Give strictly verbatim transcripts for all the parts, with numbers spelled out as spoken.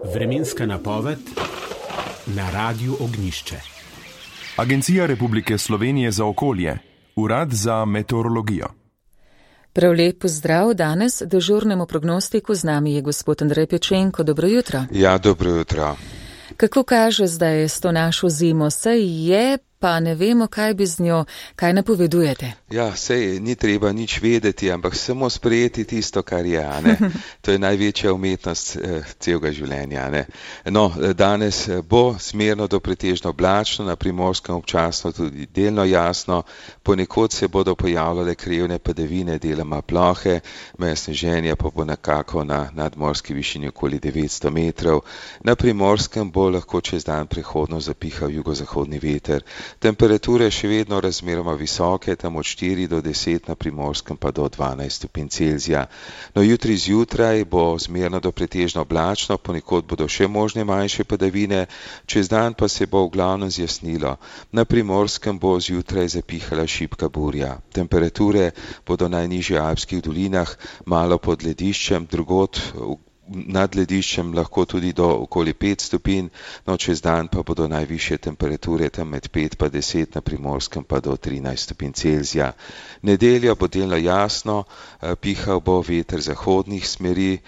Vremenska napoved na Radiu Ognjišče. Agencija Republike Slovenije za okolje, Urad za meteorologijo. Prav lep pozdrav danes dežurnemu prognostiku. Z nami je gospod Andrej Pečenko. Dobro jutro. Ja, dobro jutro. Kako kaže zdaj s to našo zimo? Saj je, pa ne vemo, kaj bi z njo, kaj napovedujete? Ja, sej ni treba nič vedeti, ampak samo sprejeti tisto, kar je, a ne. To je največja umetnost eh, celega življenja, a ne. No, danes bo smerno do pretežno oblačno, na Primorskem občasno tudi delno jasno, ponekod se bodo pojavljale krajevne padavine, deloma plohe, meje sneženja pa bo nekako na nadmorski višini okoli devetsto metrov. Na Primorskem bo lahko čez dan prehodno zapihal jugozahodni veter. Temperature še vedno razmeroma visoke, tam od štiri do deset, na Primorskem pa do dvanajst stopinj Celzija. No, jutri zjutraj bo zmerno do pretežno oblačno, ponekod bodo še možne manjše padavine, čez dan pa se bo v glavnem zjasnilo. Na Primorskem bo zjutraj zapihala šibka burja. Temperature bodo najnižje v alpskih dolinah, malo pod lediščem, drugod nad lediščem lahko tudi do okoli pet stopinj, no čez dan pa bodo najvišje temperature tam med pet pa deset, na Primorskem pa do trinajst stopinj Celzija. Nedeljo bo delno jasno, pihal bo veter zahodnih smeri,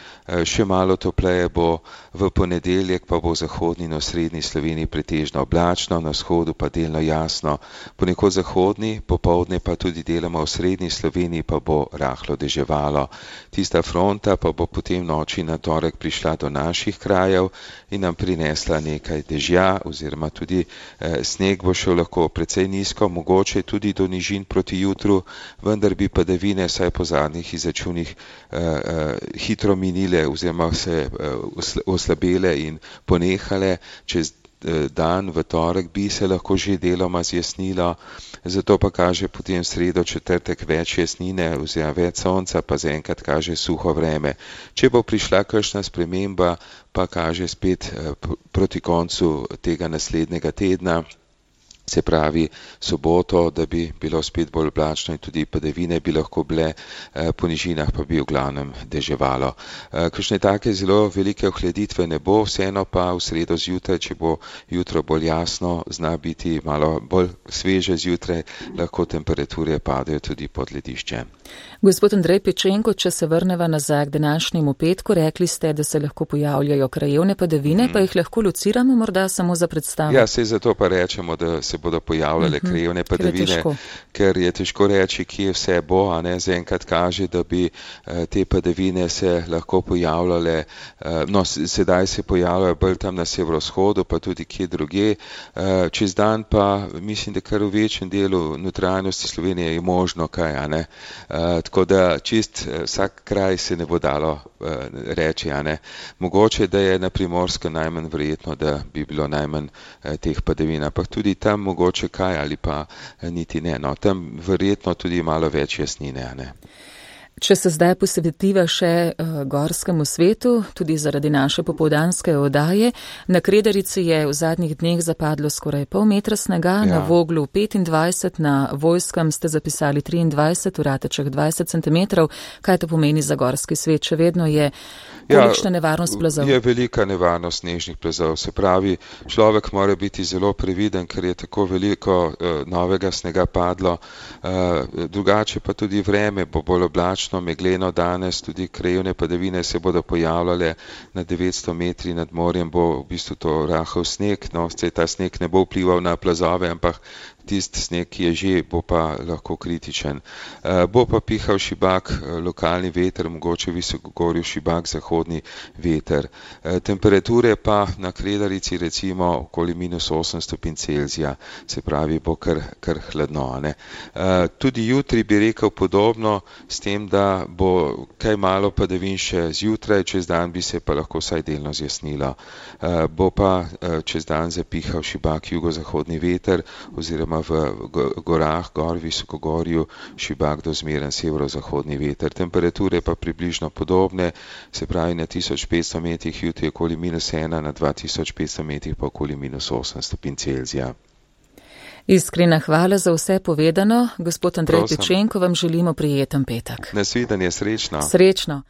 še malo topleje bo, v ponedeljek pa bo v zahodni in osrednji Sloveniji pretežno oblačno, na vzhodu pa delno jasno, ponekod zahodni, popoldne pa tudi deloma v srednji Sloveniji pa bo rahlo deževalo. Tista fronta pa bo potem noči na torek prišla do naših krajev in nam prinesla nekaj dežja, oziroma tudi eh, sneg bo šel lahko precej nizko, mogoče tudi do nižin proti jutru, vendar bi padavine vsaj po zadnjih izračunih eh, eh, hitro minile oziroma se eh, oslabele in ponehale. Čez dan v torek bi se lahko že deloma zjasnilo, zato pa kaže potem sredo, četrtek več jasnine oziroma več sonca, pa zaenkrat kaže suho vreme. Če bo prišla kakšna sprememba, pa kaže spet proti koncu tega naslednjega tedna, se pravi soboto, da bi bilo spet bolj oblačno in tudi padavine bi lahko bile, po nižinah pa bi v glavnem deževalo. Kakšne take zelo velike ohladitve ne bo, vseeno pa v sredo zjutraj, če bo jutro bolj jasno, zna biti malo bolj sveže zjutraj, lahko temperature padejo tudi pod ledišče. Gospod Andrej Pečenko, če se vrneva nazaj k današnjemu petku, rekli ste, da se lahko pojavljajo krajevne padavine, mm. pa jih lahko lociramo morda samo za predstavo? Ja, sej zato pa rečemo, da se bodo pojavljale uh-huh. krajevne padavine, ker, ker je težko reči, kje vse bo, a ne, zaenkrat kaže, da bi uh, te padavine se lahko pojavljale, uh, no, sedaj se pojavljajo bolj tam na severovzhodu, pa tudi kje druge, uh, čez dan pa mislim, da kar v večjem delu notranjosti Slovenije je možno kaj, a ne, uh, tako da čist uh, vsak kraj se ne bo dalo uh, reči, a ne, mogoče, da je na Primorskem najmanj verjetno, da bi bilo najmanj uh, teh padavin, ampak tudi tam mogoče kaj ali pa niti ne. No, tam verjetno tudi malo več jasnine, a ne. Če se zdaj posvetiva še uh, gorskemu svetu, tudi zaradi naše popoldanske oddaje, na Kredarici je v zadnjih dneh zapadlo skoraj pol metra snega, ja. Na Voglu petindvajset, na Vojskem ste zapisali triindvajset, v Ratečah dvajset centimetrov. Kaj to pomeni za gorski svet? Še vedno je kolikšna ja, nevarnost plazov? Je velika nevarnost snežnih plazov. Se pravi, človek mora biti zelo previden, ker je tako veliko uh, novega snega padlo. Uh, drugače pa tudi vreme bo bolj oblačno, megleno danes, tudi krajevne padavine se bodo pojavljale na devetsto metri nad morjem, bo v bistvu to rahel sneg, no, ta sneg ne bo vplival na plazove, ampak tisti sneg, ki je že, bo pa lahko kritičen. Uh, bo pa pihal šibak, uh, lokalni veter, mogoče visokogorju šibak, zahodni veter. Uh, temperature pa na Kredarici recimo okoli minus osem stopinj Celzija, se pravi, bo kar, kar hladno, ne. Uh, tudi jutri bi rekel podobno, s tem, da bo kaj malo padavin še zjutraj, čez dan bi se pa lahko vsaj delno zjasnilo. Uh, bo pa uh, čez dan zapihal šibak jugozahodni veter, oziroma v gorah, gor, visokogorju, šibak do zmeren severozahodni veter. Temperature pa približno podobne, se pravi na tisoč petsto metrih jutri okoli minus ena, na dva tisoč petsto metrih pa okoli minus osem stopinj Celzija. Iskrena hvala za vse povedano. Gospod Andrej Pečenko, vam želimo prijeten petek. Nasvidenje, srečno. Srečno.